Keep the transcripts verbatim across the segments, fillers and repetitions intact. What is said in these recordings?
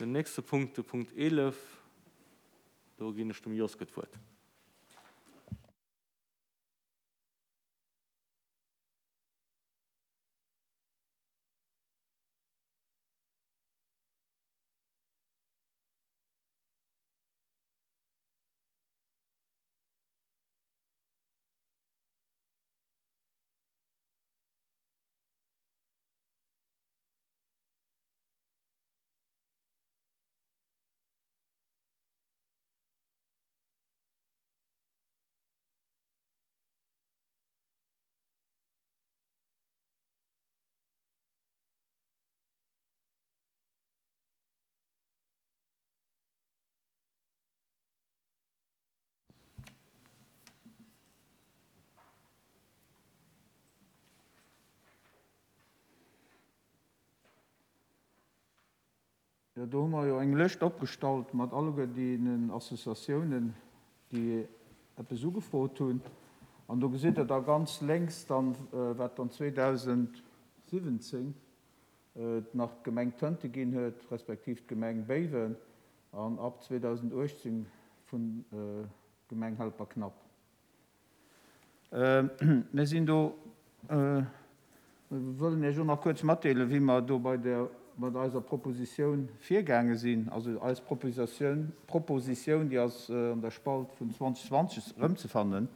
Den nächste Punkt, de Punkt eelef, do ginn ech dem Joske d'Wuert. Jo, do hu mer jo eng Lëscht opgestallt mat alleguer deenen Associatiounen, déi eppes ugefrot hunn. An do gesitt Der da ganz lénks dann, wat dann zweedausendsiwwenzéng nach d'Gemeng Tënte ginn huet, respektiv d'Gemeng Béiwen, an ab zweedausenduechtzéng vun Gemeng Helperknapp. Mir sinn do, mir wëllen Iech och nach kuerz matdeelen, wéi mer do bei der, mat eiser Propositioun virgaange sinn. Also eis Propositioun, Propositioun, déi ass an der Spalt vun zwanzeg zwanzeg erëmzefannen.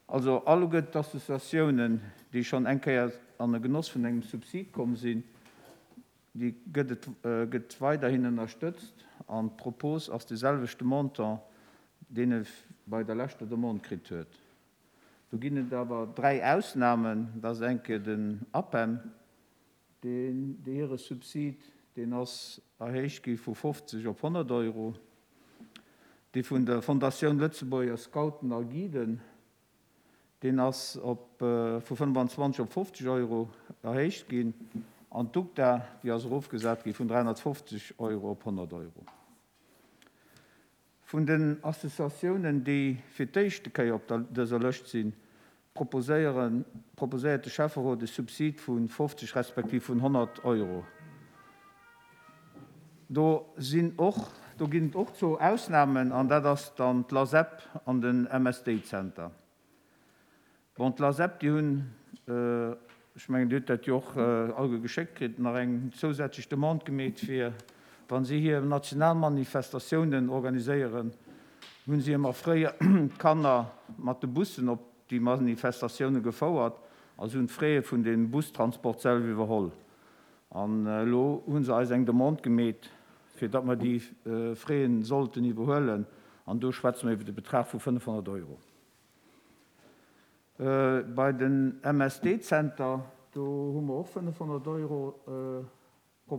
Also alleguer d'Associatiounen, déi schonn eng Kéier an de Genoss vun engem Subsid komm sinn, déi gëtt et, gëtt weiderhin ënnerstëtzt an d'Propos ass de selwechte Montant, deen e bei der leschter Demande kritt huet. Do ginn et awer dräi Ausnamen. Dat ass eng Kéier den A P E M, deen, déi hire Subsid, deen ass erhéicht gi vu fofzeg op honnert Euro. Dee vun der Fondatioun Lëtzebuerger Scouten a Guiden, deen ass op, vu fënnefanzwanzeg op fofzeg Euro erhéicht ginn. An d'UGDA, déi ass erofgesat gi vun dräihonnertfofzeg Euro op honnert Euro. Vun den Associatiounen, déi fir d'éischte Kéier op der, dëser Lëscht sinn, proposéieren, proposéiert de Schäfferot e Subsid vu fofzeg respektiv vun honnert Euro. Do sinn och, do ginn et och zwou Ausnamen, an dat ass dann d'LASEP an den M S D-Zenter. Bon, d'LASEP, déi hunn, ech mengen, Dir hutt dat jo och alleguer geschéckt kritt, nach eng zousätzlech Demande gemeet, fir wann si hir national Manifestatiounen organiséieren, hunn si ëmmer fréier d'Kanner mat de Bussen op déi Manifestatioune gefouert a si hunn d'Frais vun dem Bustransport selwer iwwerholl. An elo hu se eis eng Demande gemeet, fir datt mer déi Fraisen sollten iwwerhuelen, an do schwätze mer iwwer de Betrag vu fënnefhonnert Euro. Bei den M S D-Zenter, do hu mer och fënnefhonnert Euro,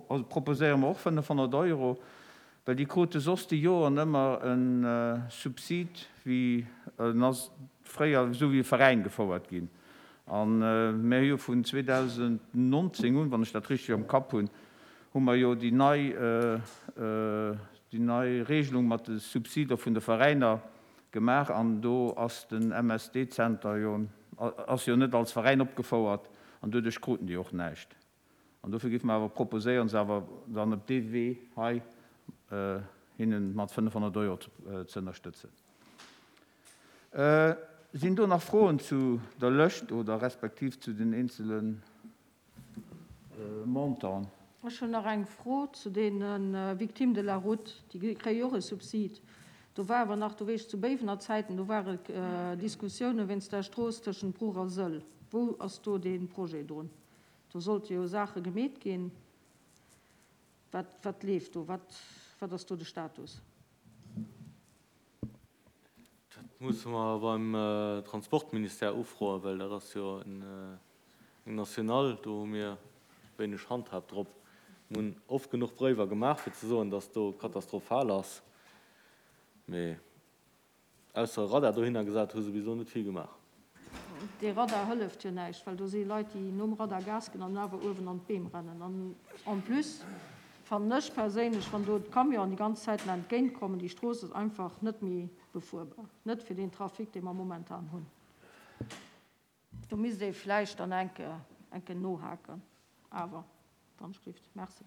also proposéiere mer och fënnefhonnert Euro, well déi krute soss déi Joren ëmmer e Subsid, wéi en ass fréier esou wéi e Veräin gefouert ginn. An mir hu jo vun zweedausendnonzéng un, wann ech dat richteg am Kapp hunn, hu mer jo déi nei, déi nei Regelung mat de Subsider vun de Veräiner gemaach, an do ass den M S D-Zenter jo, ass jo net als Veräin opgefouert an doduerch kruten déi och näischt. An dofir géife mer awer proposéieren, se awer dann op dee Wee hei hinnen mat fënnefhonnert Euro ze ënnerstëtzen. Sinn do nach Froen zu der Lëscht oder respektiv zu den eenzele Montanten? Ech hunn nach eng Fro zu deene Victimes de la route, déi kréie jo och e Subsid. Do war awer nach, do weess ech zu Béiwener Zäiten, do ware Diskussioune wéinst der Strooss tëschent Bruch a Sëll. Wou ass do dee Projet drun? Do sollte jo Saache gemeet ginn. Wat, wat leeft do? Wat, wat ass do de Status? Dat musse mer beim Transportministère ufroen, well dat ass jo eng national, do hu mir wéineg Handhab drop. Mir hunn oft genuch Bréiwer gemaach, fir ze soen, datt do katastrophal ass. Mee ausser e Radar dohinner gesat hu se bis elo net vill gemaach. Dee Radar hëlleft jo näischt, well do si Leit, déi nom Radar Gas ginn an awer uewen an d'Beem rennen. An en plus fannen ech perséinlech, wann do d'Camionen déi ganz Zäiten entgéintkommen, déi Strooss ass einfach net méi befuerbar, net fir den Trafic, dee mer momentan hunn. Do misst ee vläicht dann enke, enke nohaken, awer wann Schrift. Merci.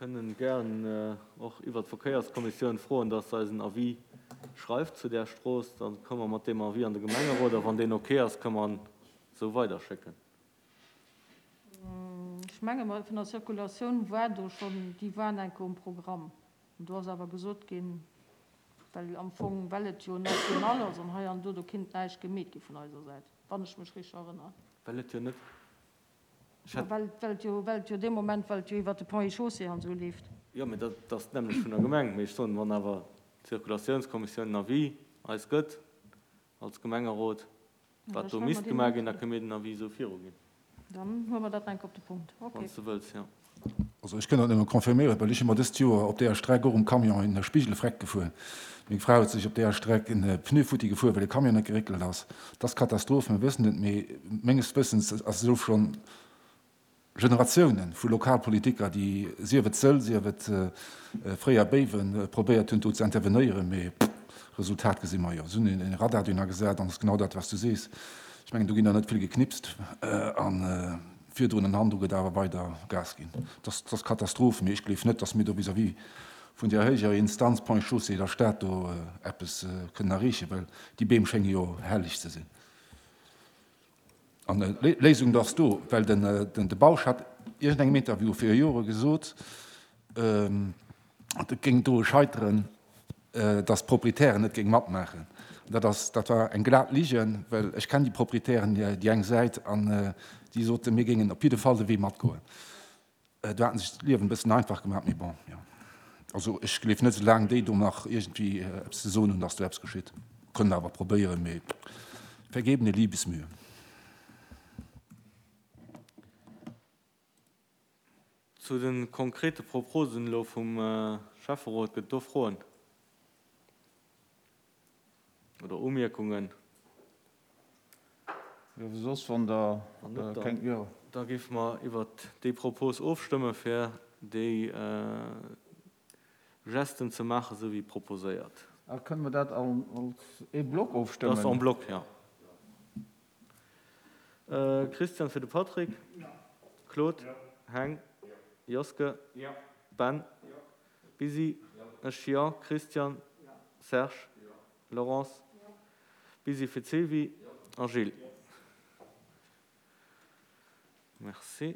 Kënnen gären och iwwert d'Verkéierskommissioun froen, dass se eis en Avis schreift zu där Strooss. Da komme mer mat deem Avis an de Gemengerot a wann deen ok ass, kënne mer en esou weiderschécken. Ech menge mer, vun der Circulatioun war do schonn, déi waren enke um Programm. An do ass awer gesot ginn, well am Fong, well et jo national ass an hei an do, do kinnt näischt gemeet gi vun eiser Säit, wann ech mech richteg erënneren. Well et jo net, ech hätt. Well, well et jo, well et jo dee Moment, well et jo iwwert de Ponts et Chaussées an esou leeft. Jo, mee dat ass d'nämmlecht vun der Gemeng. Mee ech soen, wann awer d'Circulatiounskommissioun en Avis eis gëtt als Gemengerot, wat do misst gemaach ginn, da kënne mir den Avis esou viruginn. Dann huele mer dat enk op de Punkt. Ok. Wann s de wëlls, jo. Also ech kënn dat nëmme confirméieren, well ech hu mer dëst Joer op deeër Streck och um Camion en Spigel freck gefuer. Meng Fra huet sech op deeër Streck en Pneu futti gefuer, well de Camion net geréckelt ass. Dat ass Katastroph, mir wëssen et, mee menges Wëssens ass elo schonn Generatiounen vu Lokalpolitiker, déi, sief et Sëll, sief et fréier Béiwen, probéiert hunn do ze intervenéieren, mee Resultat gesi mer jo. Se hunn en Radar dunn agesat an et ass genau dat, wat s du sees. Ech mengen, do ginn der net vill geknipst a virdrun en Hand, do gëtt awer weider Gas ginn. Dat ass Katastroph, mee ech gleef net, datt mir do vis-à-vis vun där héijer Instanz Ponts et Chaussées, der Stad, do eppes kënnen erreechen, well déi Beem schénge jo helleg ze sinn. An d'Léisung ass do, well den de Bausch hat iergendengem Interview viru Jore gesot, et géing doru scheiteren, datt d'Proprietären net géinge matmaachen. Dat ass, dat war eng glat Ligen, well ech kennen déi Proprietären, déi eng Säit, an déi soten, mir géingen op jidde Fall de Wee matgoen. Do haten sech d'Liewen e bëssen einfach gemaach, mee bon, jo. Also ech gleef net, soulaang déi do nach iergendwéi eppes ze soen hunn, datt do eppes geschitt. Kënnen awer probéieren, mee vergebene Liebesmühe. Zu de konkrete Proposen elo vum Schäfferot, gëtt et do Froen oder Umierkungen? Jo, soss wann Der keng, jo. Da géife mer iwwert déi Propos ofstëmme fir déi Gesten ze maachen, esou wéi proposéiert. A kënne mer dat als ee Block ofstëmmen? Dat ass en bloc, jo. Christian fir de Patrick. Claude. Heng. Joske. Ben. Busy. Ech, jo. Christian. Serge. Laurence. Busy fir d'Sylvie a Gilles. Merci.